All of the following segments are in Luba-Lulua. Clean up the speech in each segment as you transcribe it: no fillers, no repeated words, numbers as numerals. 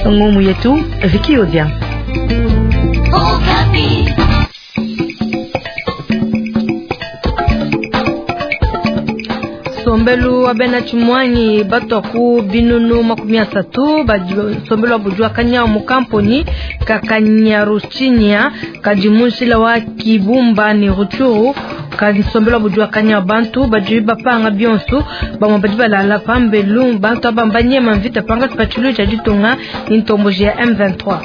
Ngumu yetu Vicky Odia. Nsombelu wa bena tshimuangi batua ku binunu 30 badi nsombelu wa budi wa kanyawu mu kamponyi ka Kanyaruchinya kadi mu njila wa Kibumba ne Rutshuru. Kadi nsombelu wa budi wa kanyawu, bantu badi bapanga bionso, bamue badi balala pambelu, bantu aba mbanyema mvita pankatshi pa tshiluilu tshia ditunga ne ntomboji ya M23.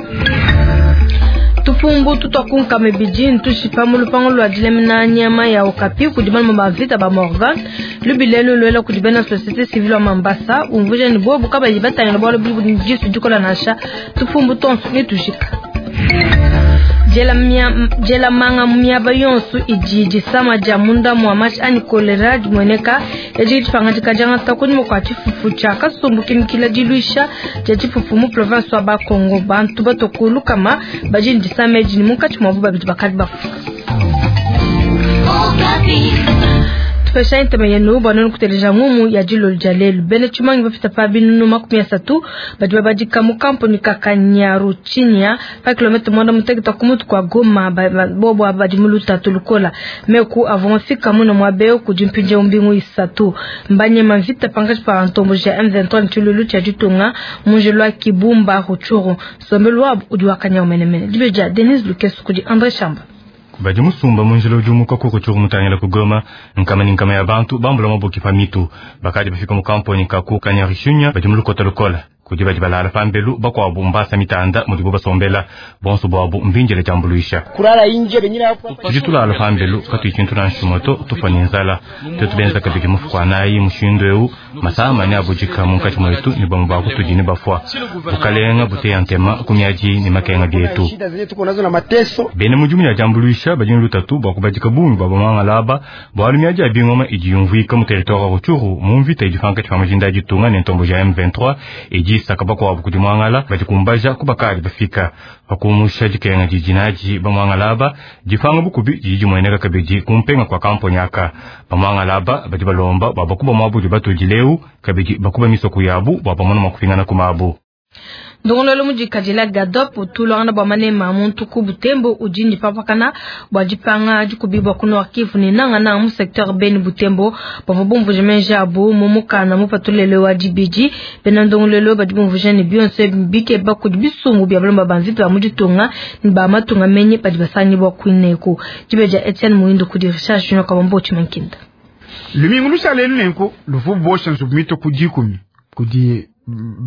Tupumbu tutua ku nkama ibidi ntushipa mu lupangu lua dilamina nyama ya okapi kudi balume ba mvita ba Morgan. Lubila elu luela kudi bena societe civile wa Mambasa, umvuija ne bobu kabayi batangila bualu budi ne disu dikola nansha, tupumbu tonso netujika. Diela manga mu miaba yonso idi disama dia munda mua mashi anyi kolera dimueneka. Edi dipangadika diangata kunyima kua tshifufu tshia kasumbu kimikila diluisha dia tshifufu mu province wa Bas-Congo. Bantu batua ku lukama badi ne disama edi ne munkatshi muabu babidi bakadi bafua. Tupesha ntema yenu bua nuenu kuteleja ngumu ya dilolo dia lelu. Bena tshimangi bapita pa binunu 30 badi babadika mu kampuni ka Kanyaruchinya pa kilomètre 18 ku mutu kua Goma. Bobo badi mu lutatu lukola. Meku avua mafika muna muaba eu kudi mpindieu mbingu 3. Mbanyema mvita pankatshi pa ntomboji ya M23 ne tshiluilu tshia ditunga mu njila wa Kibumba Rutshuru. Nsombelu wabu udi wa kanyawu menemene. Dibeji dia Denise Lukeso kudi André Chamba. Badi musumba mu njila udi umuka ku Rutshuru mutangila ku Goma, nkama ne nkama ya bantu bambula mabuki pa mitu. Bakadi bafika mu kamponi ka ku Kanyaruchinya badi mu lukota lukola. Kudi badi balala pambelu, bakuabu mbasa mitanda mudibu basombela. Bonso buabu mbindile diambuluisha. Tudi tulala pambelu katuyi tshintu nansha tshimue to, tufua ne nzala. Tuetu benza kabidi mufuku anayi mushindu eu, masama neabudika munkatshi muetu ne bamue ba kutudi nebafua. Bukalenga buteya ntema ku miadi ne makenga bietu. Bena mudimu ya diambuluisha badi ne lutatu bua kubadika bungi bua bamuangala aba, bualu miadi ya bingoma idi yumvuika mu territoire wa Rutshuru mu mvita idi pankatshi pa majinda a ditunga ne ntomboji ya M23 idi isaka bakuabu kudi muangala badi kumbaja ku bakadi bafika. Pa kumusha dikenga didi nadi bamuangala aba, dipanga bukubi didi dimueneka kabidi ku mpenga kua kamponi aka. Bamuangala aba badi balomba bua bakuba muabu udi batudileu, kabidi bakuba misoko yabu bua bamone mua kupingana ku mabu. Ndongoluelu mudikadila Gadop utuluangana bua manema a muntu ku Butembo udi ne papakana bua dipanga dikubibua ku Nord Kivu ne nangananga mu secteur Beni Butembo. Bavua bumvuija meji abu mu mukanda mupatulele wa dibidi. Bena ndongoluelu badi bumvuija ne bionso ebi bikeba kudi bisumbu bia balomba ba mvita ba mu ditunga ne ba matunga menyi badi basangibua kuineku. Dibeji dia Etienne Muindo kudi Richard Junior Kabambo Tshimankinda. Lumingu lushale nenku luvu bosha nzubu mito ku 10 kudi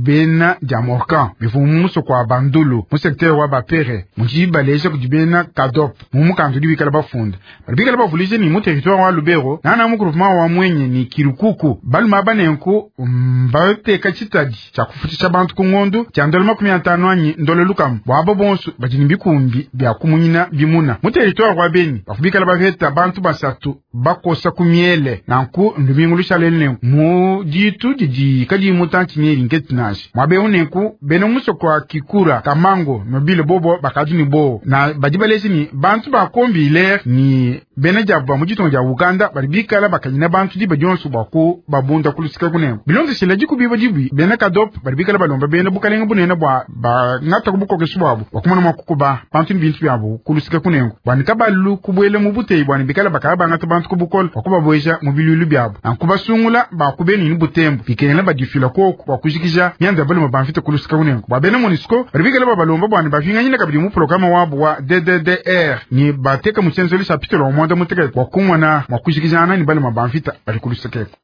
bena dia Morkan bivua mu musoko wa Bandulu mu secteur wa Bapere mudi baleja kudi bena Kadop mu mukanda udi bikala bafunda badi bikala bavuluija ni mu territoire wa Lubero nana mu groupement wa Mwenye ni Kirukuku balume aba nenku mbateka tshitadi tshia kufutshisha bantu ku ngondu tshia ndolo 50 anyi ndolo lukama bua abo bonso badi ne bikumbi bia kumunyina bimuna mu territoire wa Beni bavua bikala bapeta bantu 3 bakosa ku miele nanku ndumingu lushale nenku mu ditu didi kadi mutanchi ne nketi nashi mwabe nenku bena musoko wa Kikura Kamango nobile bobo bakadi ni bo na badi balezi ni bantu bakombile ni bena jabu ba mu ditunga dia Uganda badi bikala bakanyina bantu diba dionso bua ku babunda kulusika kunengo bilondeshela dikubiba dibi bena Kadop badi bikala balomba bena bukalenga bunene bua bangata kubukokesha bwabu bua kumona mua kukuba bantu ni bintu byabo kulusika kunengo bua nikabalu kubuela mu buteyi bua nibikala bakaba bangata bantu kubukolo bua kubabweja mu bilulu byabo ankubasungula bakubeni ni butembo bikengela badifila koko bua kujikija mianza balume bamfite kulusika kunengo bua bena MONUSCO badi bikala babalomba bua nibapinganyina kabidi mu programa wabu wa DDDR ni bateka mu tshienzelu chapitre wa mwanda mutekete bua kumona mua kujikijana ni balume bamfita badi kulusika eko.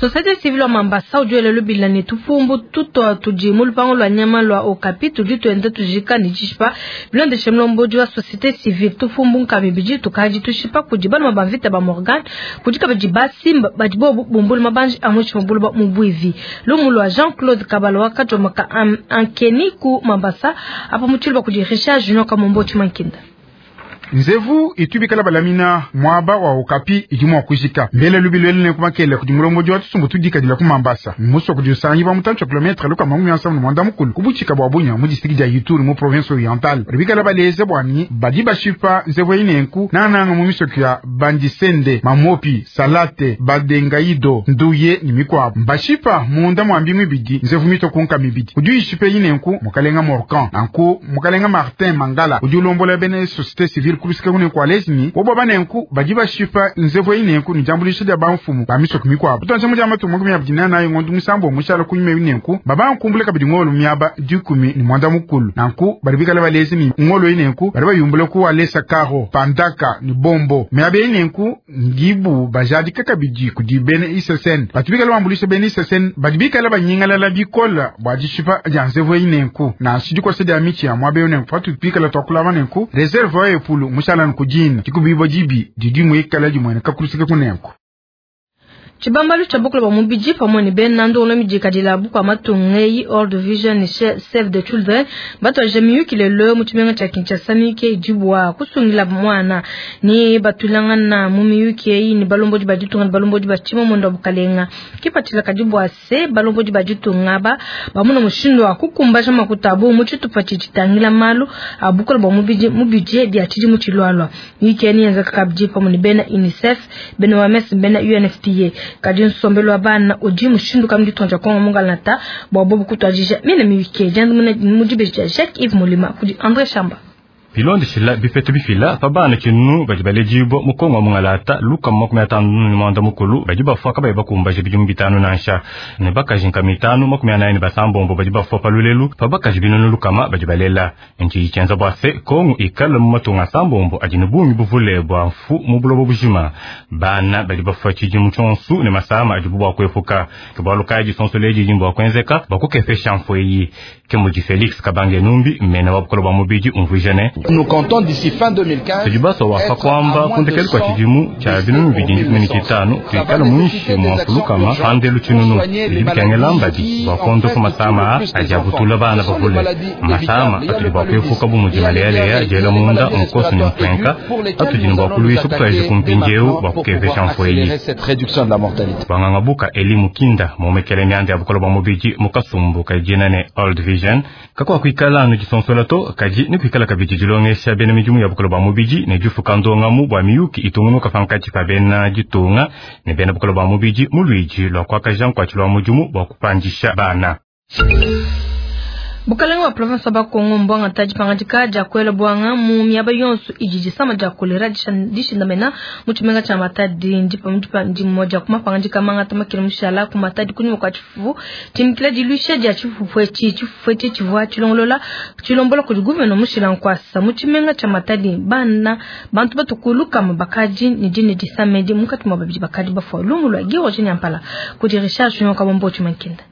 Société civile wa Mambasa udi lubila ne tupumbu tutwa tudi mu lupangu lua nyama lua okapi tudi tuenda tujika ne dishipa bilondeshe mulombodi wa société civile tupumbu nkami bidi tukadi tushipa kudi balume ba mvita ba Morgan kudi kabidi basimba badi bobu bumbulu mabanji a mutshi mubulu mu bwivi. Lumu lua Jean-Claude Kabalo wakajomaka ankeni ku Mambasa apa mutshilba kudi Richard Junior Kamombo Tshimankinda. Nzevu itu bikala balamina mwaba wa Okapi idi mwa kujika mbele lubilwele ne kumakele kudi mulombodi wa tusumbu tudikadila ku Mambasa muso kudi usangi ba mutantshi wa kilometre luka makumi asanu mwanda mukulu kubuchika bwa Bunya mu district dia Ituri mu province orientale. Badi bikala baleze bwani badi bashipa nzevu eyi nenku nananga mu misoko ya Bandisende, Mamopi, Salate, Badengaido, Nduye ni mikwabo. Mbashipa munda mwa mbingu ibidi nzevu mito kunka mibidi udi uyishipa eyi nenku mukalenga Morkan nanku mukalenga Martin Mangala udi ulombola bene société civile kulusika kune kwa lezini bobo banenku badi bashipa nzevu eyi nenku ni jambulisha dia bamfumu ba misoko mikwabo. Tutanse mu jama tumu kumya bidina nayo ngondu musambo mushala kunyuma eyi nenku babankumbule kabidi ngolo miaba dikumi ni mwanda mukulu nanku badi bikala balezini ngolo eyi nenku badi bayumbule ku alesa karo pandaka ni bombo miaba eyi nenku ngibu bajadika kabidi kudi bene ISSN batu bikala bambulisha bene ISSN badi bikala banyingalala bikola bwa dishipa dia nzevu eyi nenku na sidikosa dia michi ya mwabe nenku fatu bikala twakulama nenku reserve wa epulu mushala nkujina dikubibo dibi didi mwikala dimwene kakulusika kunenku. Tshibambalu tshia bukulu bwa mubidi pamwe ne bena ndongo midikadila bukua matunga eyi World Vision ne Save the Children batwaje miyuki lelo mu tshimenga tshia Kinshasa. Miyuki eyi dibua kusungila mwana ne batulangana mu miyuki eyi ne balombodi ba ditunga ne balombodi ba tshimamuenda wa bukalenga. Kipatshila kadi bua se balombodi ba ditunga aba bamuna mushindu wa kukumbaja makuta abu mu tshitupa tshitangila malu a bukulu bwa mubidi mu budget dia tshidimu tshilualua. Miyuki eyi niyenzeka kabidi pamwe ne bena UNICEF, bena OMS, bena UNFPA. Kadi nsombelu wa bana udi mushindu kambi ditunga Kongo mungalata bwa bobu kutwadija mine miyuki diandamuna mu dibeji dia Jacques Yves Molima kudi André Chamba. Bilondeshila bipeta bifila pa bana tshinunu badi baledibua mu Kongo mungalata luka 50 ne mwanda mukulu badi bafua kabayi bakumbaja bidimu 5 nansha ne bakaji nkama 5 46 badi bafua pa lulelu pa bakaji binunu lukama badi balela. Nchi tshienza bua se Kongo ikala mu matunga sambombo adi ne bungi buvule bua mfu mu buloba bujima. Bana badi bafua tshidimu tshionsu ne masama adibu bua kuepuka. Ke bualu kayi disonso ledi bua kuenzeka bua kukepesha mfu eyi. Ke mudi Felix Kabange Numbi mena wa bukolo bua mubidi umvuija ne Nous comptons d'ici fin 2015 tujibaso wafa kwamba kundekeli kwa tshidimu tsha binunu bidi 15 tuikala muinshi mwa mfulukama pandelu tshinunu bidi bikengela mbadi bua kondopa masama adi abutula bana bavule masama atudi bua kuepuka bu mudi maleyaleya diela munda nkosu ne mpenka atudi ne bua kuluisha kutwaje kumpindiewu bua kukepesha mfu eyi. Banganga buka Eli Mukinda momekele mianda ya bukolo bua mubidi mu kasumbu kadina ne Old Vision kakwa kuikala anu disonsola to kadi ni kuikala kabidi dilongesha bena midimu ya bukolo bua mubidi ne difuka ndongamu bua miyuki itungunuka pankatshi pa bena ditunga ne bena bukolo bua mubidi mu luidi lua kuakaja nkuatshi lua mudimu bua kupandisha bana. Bukalenga wa province wa Kongo mbwanga taji pangadika dia kuela bwanga mu miaba yonso idi disama dia kolera dishindamena mu tshimenga tsha Matadi. Ndipa ndipa ndi mmoja kuma pangadika manga tamakile mushala ku Matadi kunyuma kwa tshifufu timikila dilusha dia tshifufu etshi tshifufu etshi tshivua tshilongolola tshilombola kudi gouverneur mushila nkwasa mu tshimenga tsha Matadi. Bana bantu batukuluka mabakaji ne dine disamedi mukati mwa babidi bakadi bafua lumu lwa Giroje Nyampala kudi Richard Junior Kabombo Tshimankenda.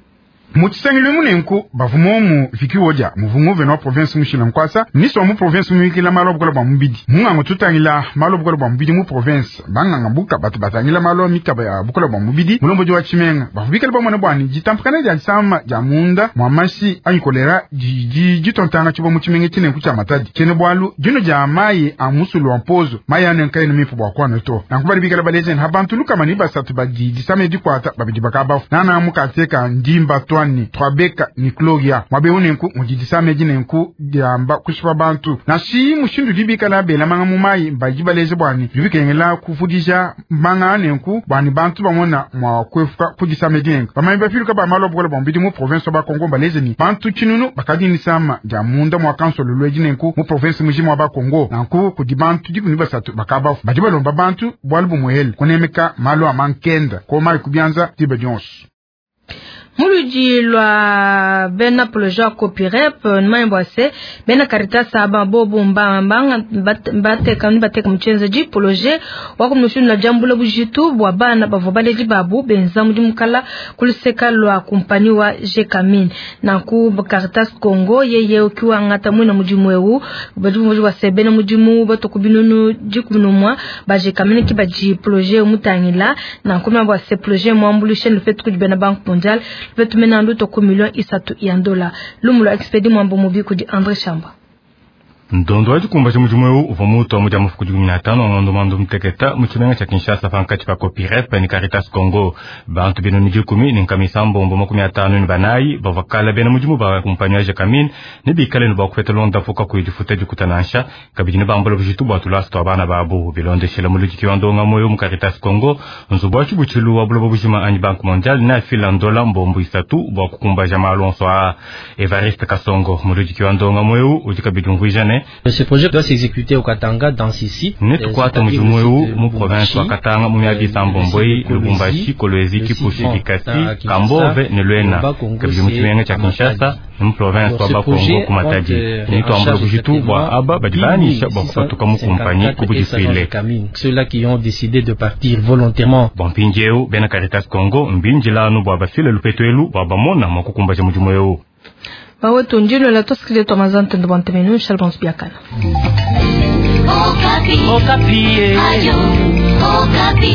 Mutshisangilo munenku bavumomu vikiwoja muvungu veno wa province mushila nkwasa ministre wa mu province muyikila malo bukola bwa mubidi mungango tutangila malo bukola bwa mubidi mu province banganga buka batu batangila malo mikaba ya bukola bwa mubidi mulomboji wa tshimenga bavubikala bamona bwani ditampakana dia disama dia munda mwa mashi anyi kolera didi ditontanga tshibwa mu tshimenga tshinenku tshia Matadi tshene bwalu dino dia mayi a musulu wa mpozo mayi anu nkayi mipu bwa kwano to nanku bali bikala balezeni ha bantu lukama ni basatu badi disama dikwata babidi bakabafu nana mukateka ndimba twa ni Twabeka ni Gloria mwabe unenku mudidisa meji nenku diamba kushipa bantu nashi mushindu dibikala bela manga mu mayi mbaji baleze bwani bibikengela kuvudisha manga nenku bwani bantu bamona mwa kwefuka kudisa meji nenku bamanyi bafiluka ba malo bukola bwa mubidi mu province wa Bakongo baleze ni bantu tshinunu bakadi nisama dia munda mwa kansolo lweji nenku mu province mujima wa Bakongo nanku kudi bantu dikumi basatu bakabafu badi balomba bantu bwalu bumuhele kunemeka malo amankenda koma ikubyanza tiba dionso. Muludi lwa bena projet Copirep nmayembo se bena Caritas aba bobu mbamba bateka ni bateka mchenza ji projet wako mnushunu la jambula bujitu bwa bana bavo baleji babu benza mudi mukala kuluseka lwa kumpani wa Gécamines na ku Caritas Congo yeye ukiwa ngata mwina mudimu ewu badu muji wa se bena mudimu batokubinunu jikunumwa ba Gécamines ki baji projet mutangila na kuma bwa se projet mwambulishe le fait que bena Banque mondiale Petu mena nduto ku milioni 3 ya dola. Lumu lwa expedi mwambo mubi kudi André Chamba. Ndondo wa dikumbaja mudimu eu uvua mutua mu dia mafuku 15 a ngondo muanda muteketa mu tshimenga tshia Kinshasa pankatshi pa Copirep ne Caritas Congo. Bantu 154 bavua kale bena mudimu ba kumpanyi wa Gécamines ne bikale ne bua kupeta luondapu kakuyi difuta dikuta nansha, kabidi ne bambula bujitu bua tulasa tua bana babu. Bilondeshile muludiki wa ndongamu eu mu Caritas Congo, nzubu wa tshibutshilu wa buloba bujima anyi Banque mondiale neafila ndola 30 bua kukumbaja malu onso aa. Evariste Kasongo, muludiki wa ndongamu eu, udi kabidi umvuija ne Ce projet doit s'exécuter au Katanga dans six sites. Netukuate mudimu eu mu province wa Katanga mu miaba isambombo eyi: Lubumbashi, Kolwezi, Kipushi, Likasi, Kambove ne Luena, kabidi mu tshimenga tshia Kinshasa ne mu province wa Bakongo ku Matadi. Netuambule bujitu bua aba badi banyisha bua kupatuka mu kumpanyi ku budisuile. Ceux-là qui ont décidé de partir volontairement. Bua mpindieu bena Caritas Congo mbindila anu bua bafile lupetu elu bua bamona mua kukumbaja mudimu eu. Bawetu ndilo tosikile twa mazantendo bua ntemenu shalbons biakana. Okapi. Okapi. Ayo, Okapi.